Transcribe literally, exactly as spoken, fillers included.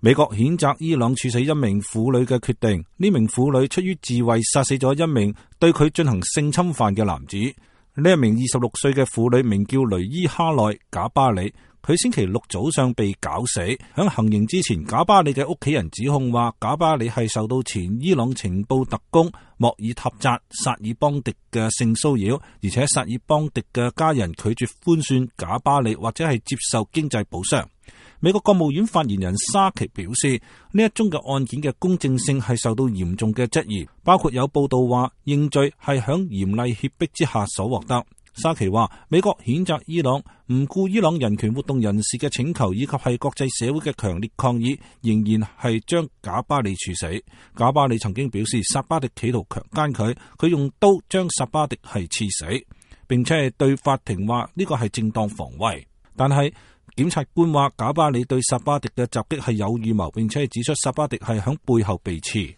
美國譴責伊朗處死一名婦女嘅決定，呢名婦女出於自衛殺死咗一名對佢進行性侵犯嘅男子。呢一名二十六歲嘅婦女名叫雷伊哈內賈巴里，佢星期六早上被絞死。響行刑之前，賈巴里嘅屋企人指控話，賈巴里係受到前伊朗情報特工莫爾塔扎薩爾邦迪嘅性騷擾，而且薩爾邦迪嘅家人拒絕寬恕賈巴里或者係接受經濟補償。美國國務院發言人沙奇表示，呢一宗嘅案件嘅公正性係受到嚴重嘅質疑，包括有報道話認罪係響嚴厲脅迫之下所獲得。沙奇話，美國譴責伊朗唔顧伊朗人權活動人士嘅請求，以及係國際社會嘅強烈抗議，仍然係將賈巴里處死。賈巴里曾經表示，薩巴迪企圖強姦佢，佢用刀將薩巴迪係刺死，並且係對法庭話呢個係正當防衛。但係檢察官話，賈巴里對薩巴迪嘅襲擊係有預謀，並且係指出薩巴迪係響背後被刺。